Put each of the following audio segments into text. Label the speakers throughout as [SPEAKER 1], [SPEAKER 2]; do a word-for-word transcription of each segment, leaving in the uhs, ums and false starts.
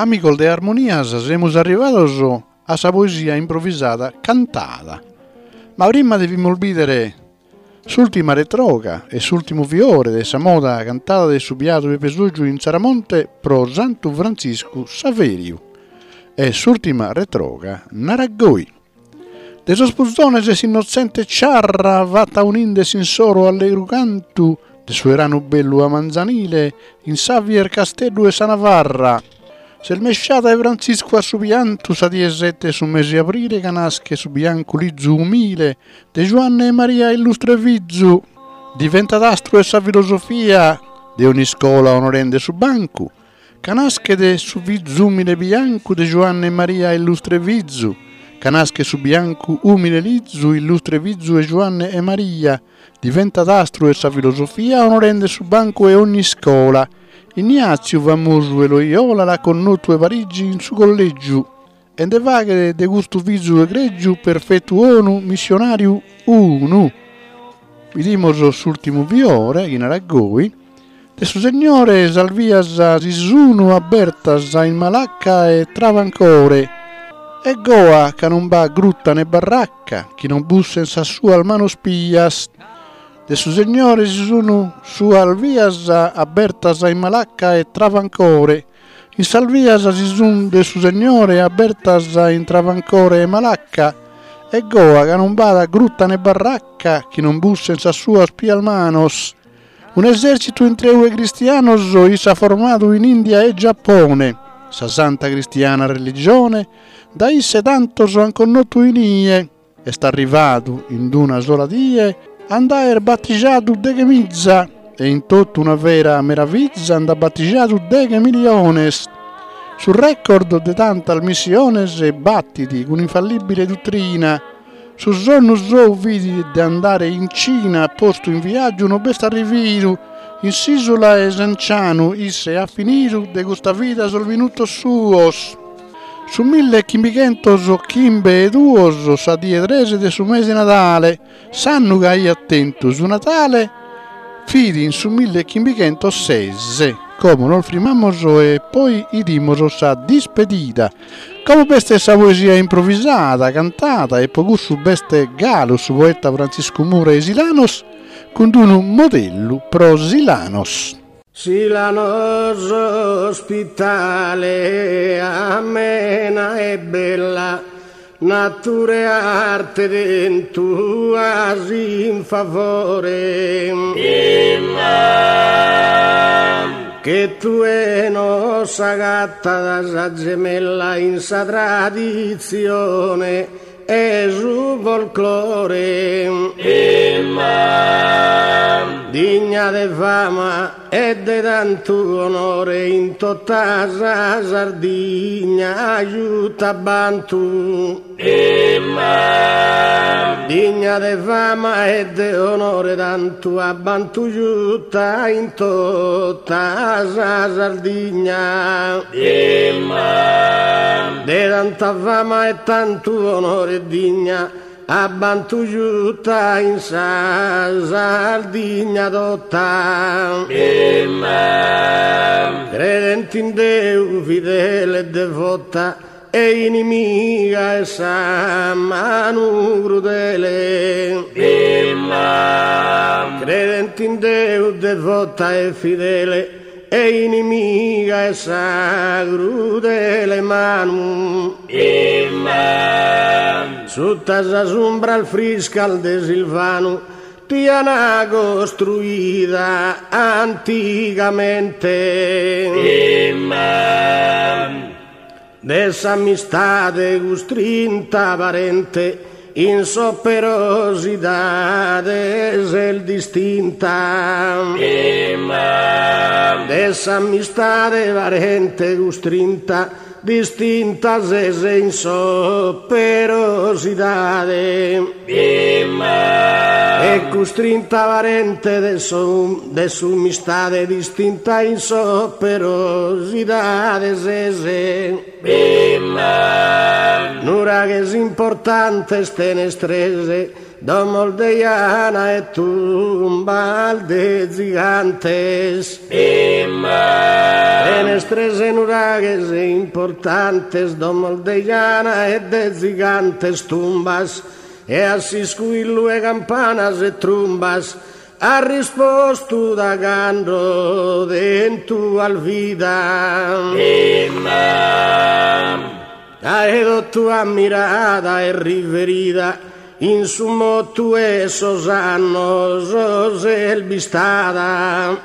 [SPEAKER 1] Amigos de Armonias, semus arrivados a sa poesia improvisada cantada. Ma prima devimus bìdere s'ùrtima retroga e s'ùrtimu fiore de sa moda cantada de su biadu Pepe Soggiu in Tzaramonte pro Santu Frantziscu Saveriu. E s'ùrtima retroga narat goi. De sos puzones s'innotzente ciarra fata uninde s'insoro allegru cantu de su 'eranu bellu a manzanile in Xavier Casteddu e sa Navarra. S'est mesciada 'e Frantziscu a su piantu sa die sette 'e su mese 'e abrile ca naschet su biancu lizu umile de Giuanne e Maria illustre fizu. Diventat astru 'e sa filosofia de ogni iscola onorende su bancu ca naschet su fizu umile biancu de Giuanne e Maria illustre fizu. Ca naschet su biancu umile lizu illustre fizu 'e Giuanne e Maria. Diventat astru 'e sa filosofia onorende su bancu 'e ogni iscola. Ignatziu famosu 'e Loyola l'at connotu 'e Parigi in su collegiu e nde faghet de custu fizu egregiu perfetu 'onu missionariu unu. Bidimus s'ùrtimu fiore, chi narat goi, de su Segnore sas vias si sunu abertas in Malacca e Travancore. E goa ca non b'at grutta ne barracca chi non bussen sas suas manos pias. De su Segnore si sunu suas vias abertas in Malacca e Travancore. In sas vias si sun de su Segnore abertas in Travancore e Malacca. E goa ca non b'at grutta ne barracca chi non bussen sas suas pias manos. Un'esercitu intreu 'e cristianos isse at formadu in India e Giappone. Sa santa cristiana religione da isse tantos an connotu inie. Est arrivadu in una sola die a nd'aer battijadu deghe miza e in totu una vera meraviza nd'at battijadu deghe miliones. Su record de tantas missiones battit cun infallibile dottrina. Su sonnu sou fit de andare in Cina, postu in viaggiu non b'est arrividu. In s'isula 'e Sancianu isse at finidu de custa vida sos minutos suos. Su mille chimbichentos chimbe e duos, sa die tres de su mese Nadale, s'annu chi aiat tentu su Natale, fit in su mille chimbichentos ses. Como nos frimamos e poi 'idimus sa dispedida. Como b'est sa poesia improvisada, cantada e pro cussu b'est galu su poeta Frantziscu Mura 'e Silanos cun unu modellu pro Silanos.
[SPEAKER 2] Silanos ospitale, amena e bella, natura e arte tentu as in favore. Che tue no s'agattat sa gemella in sa tradizione e su folclore. Digna de fama e de tantu onore in tota sa Sardigna giuta bantu. Digna de fama e de onore tantu a bantu giuta in tota sa Sardigna. De tanta fama e tantu onore digna a bantu giuta in sa Sardigna tota. Credente in Deu fidele e devota e inimiga 'e sa manu crudele. Credente in Deu devota e fidele e inimiga 'e sa crudele manu. Sutta sas umbras friscas de Silvanu ti ana costruida antigamente. De s'amistade custrinta parente in s'operosidade ses distinta. De s'amistade parente custrinta distinta ses in s'operosidade. E custrinta parente de su de s'amistade distinta in s'operosidade ses. Nuraghes importantes tenes tres Domos de jana e tumbas de gigantes. Fenestres e nuraghes importantes, domos de jana e de gigantes tumbas, e a s'iscuillu e campanas e trumbas, ha risposto da cando dentro al vida. Aedo tua mirada e riverida, in su motu e sos annos selbistada.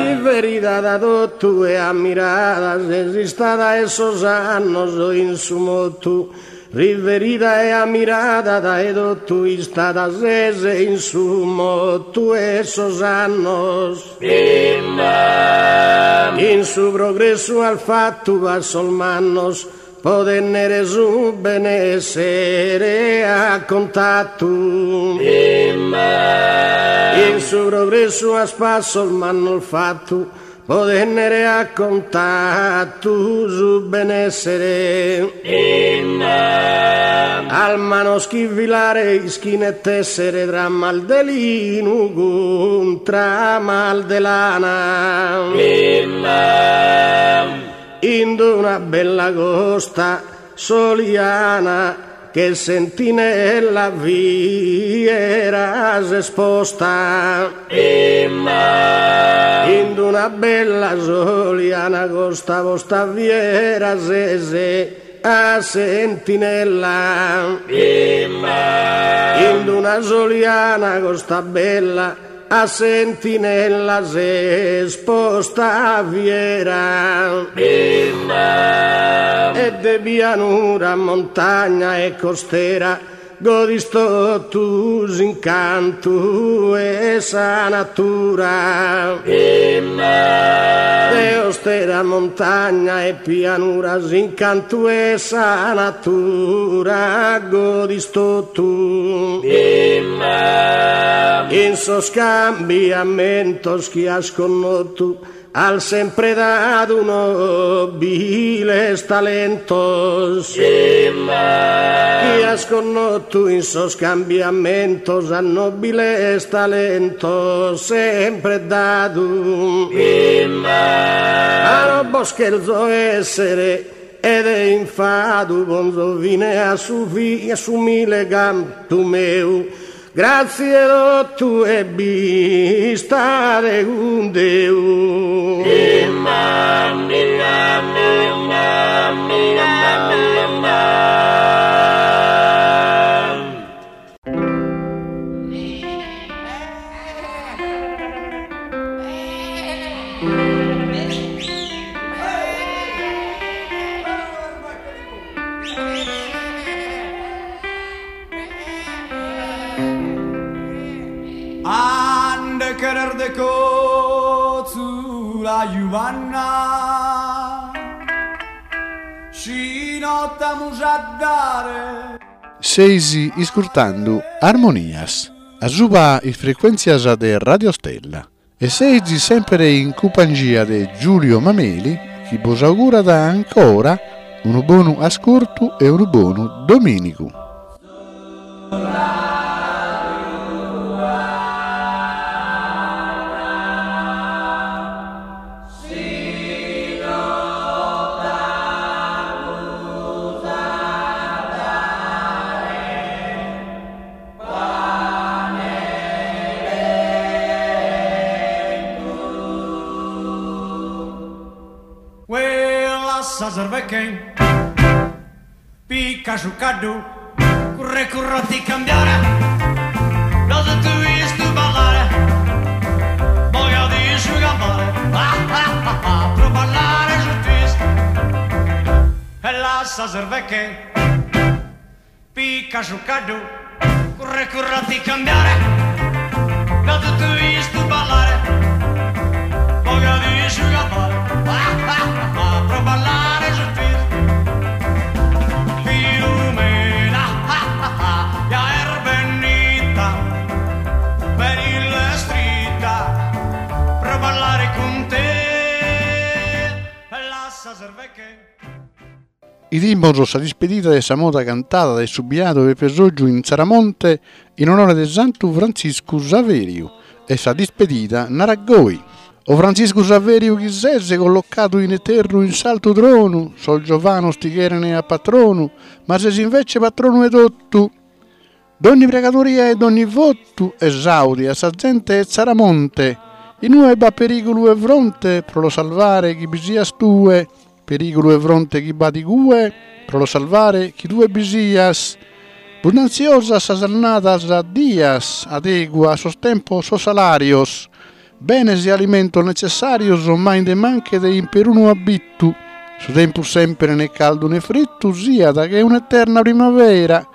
[SPEAKER 2] Riverida da totu e ammirada, ses istada e sos annos in su motu. Riverida e ammirada dae totu istada ses in su motu e sos annos. In su progressu al fattu passos mannos, po tennere su benessere a contattu. In su progressu as passos mannos fattu, po tennere a contattu su benessere. Al manos chi filare ischine tessere tramal de linu cun tramal de lana. In d'una bella costa soliana che sentinella fiera esposta. In d'una bella soliana costa posta fiera sese a sentinella. In d'una soliana costa bella a sentinella se sposta fiera. E de pianura, montagna e costera, godis totu s'incantu e sa natura. De ostera, montagna e pianura, s'incantu e sa natura, godis totu. In sos cambiamentos chi has connotu, al sempre dado nobiles talentos. Chi has connotu in sos cambiamentos, a nobiles talentos sempre dadu. A no bos cherzo essere ed è infadu, bonzo fine a su fi, a s'umile cantu meu. Grazie totu e bistade cun Deu.
[SPEAKER 3] Ande querer de cotzula Giovanna si notamus a dare.
[SPEAKER 1] Seisi iscurtando Armonias, a suba is frequenzias de Radio Stella. E seisi sempre in compagnia de Giulio Mameli, chi vos augura da ancora un buon ascolto e un buon domenico.
[SPEAKER 3] Quella serve che picca su caddu, curre curro ti cambiare, lo tu visto ballare, voglio di su gambare, ah ah ah ah, pro ballare su twist. E la serve che picca su caddu, curre curro ti cambiare, lo tu visto ballare, voglio di su gambare, ah ah ah, pro ballare su twist. Filomena, ah ah ah, ja er per il strita, pro ballare con te, la serve che.
[SPEAKER 1] Idimos sa dispedida de sa moda cantada de su biadu Peppe Soggiu in Tzaramonte in onore de Santu Frantziscu Saveriu e sa dispedida narat goi. O Frantziscu Saveriu chi ses collocadu in eternu in s'altu tronu, sos giovanos ti cheren a patronu, ma ses invece patronu 'e totu. Dogni pregadoria e dogni votu esaudi a sa zente 'e Tzaramonte, inue b'at perigulu 'e fronte pro los salvare chi bi sias tue, perigulu 'e fronte chi b'at igue pro los salvare chi tue bi sias. Bundanziosas sas annadas dias, adegua a sos tempos sos salarios, benes e alimentos necessarios mai nde manchet in perunu abittu, su tempus sempre ne caldu ne frittu siat che un'eterna primavera.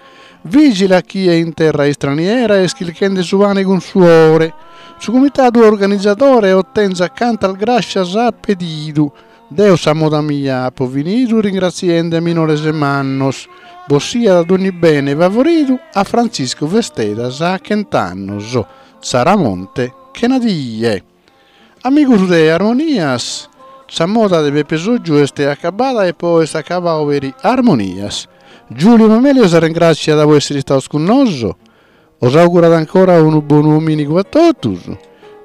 [SPEAKER 1] Vigila chie in terra istraniera est chirchende su pane cun suore. Su comitadu organizadore otenzat cantas grascias at pedidu. Deo sa moda mia apo finidu ringratziende a minores e mannos. Bos siat dogni bene favoridu a Frantziscu festedas a chent'annos. Tzaramonte chena die. Amigos de Armonias, sa moda de Peppe Soggiu est acabada e poi est acabadu peri Armonias. Giulio Mameli os ringratziat po essere istados cun noso, os augurat ancora unu bonu dominigu a totus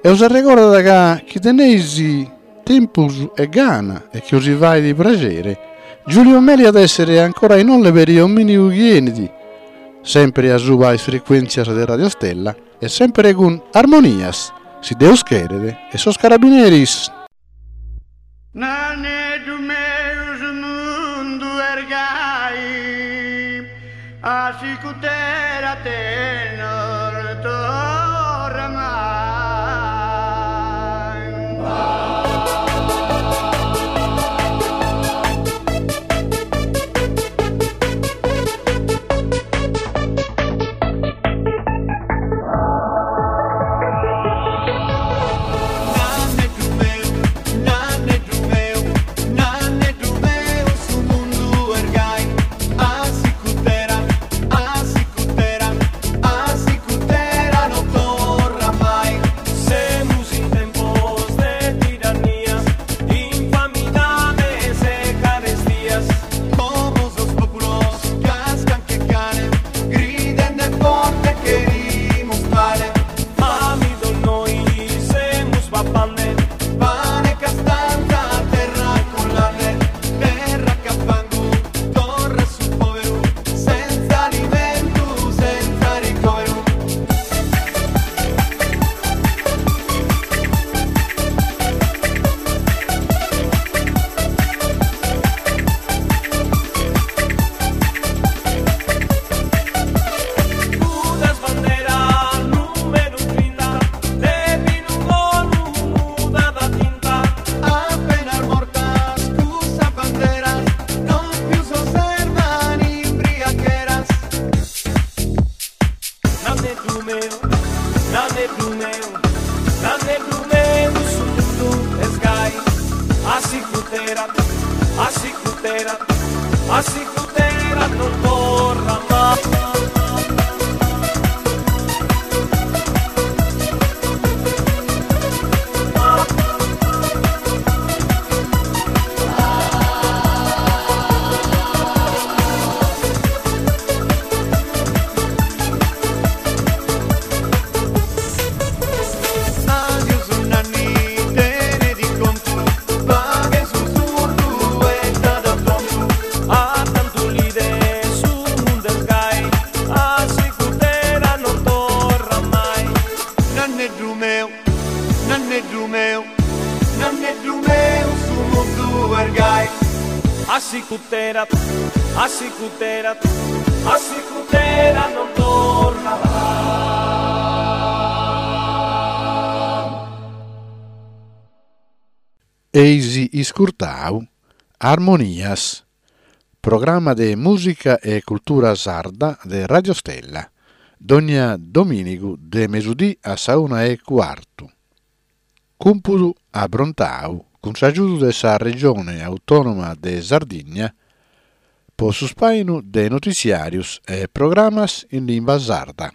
[SPEAKER 1] e os arregordat ca chi teneis tempus e gana e chi os fait pragere, Giulio Mameli at essere ancora in olle per dominigu chi enit, sempre a suba is frequentzias de Radio Stella e sempre cun Armonias, si Deus cheret, e sos carabineris.
[SPEAKER 3] Naneddu meu su mundu est gai, a sicutera te non torra mai.
[SPEAKER 4] Naneddu meu, naneddu meu, naneddu meu, su mundu est gai, a sicutera, a sicutera, a sicutera non torra mai.
[SPEAKER 5] Semus in tempos de tirannias, infamidades e carestias.
[SPEAKER 4] Como sos populos cascan che cane, gridende forte cherimus pane.
[SPEAKER 5] Famidos nois semus papande,
[SPEAKER 4] Pane, castanza, terra con latte, terra che fangu, torra su poveru, senza alimento, senza ricovero.
[SPEAKER 5] Unas banderas número trinta, de pinu bonu mudada tinta.
[SPEAKER 4] Appena mortas cussa banderas, non più s'osservan imbriacheras.
[SPEAKER 5] Naneddu meu, naneddu meu, naneddu meu, su mundu est gai, a sicutera, a sicutera, a sicutera non torra mai.
[SPEAKER 4] Adios nanni, tene di contu, paghe su surdu e tada tontu.
[SPEAKER 5] A tantu lide su mundu est gai, a sicutera non torra mai.
[SPEAKER 4] Naneddu meu, naneddu meu, naneddu meu, su mundu est gai.
[SPEAKER 5] A sicutera, a sicutera, a sicutera non torra mai.
[SPEAKER 1] Eisi iscurtau Armonias, programma de musica e cultura sarda de Radio Stella, dogna dominigu de mesudì a sa una e quartu. Cumpudu abrontau cun s'aggiudu de sa Regione Autonoma de Sardigna po su spainu de notiziarios e programas in limba sarda.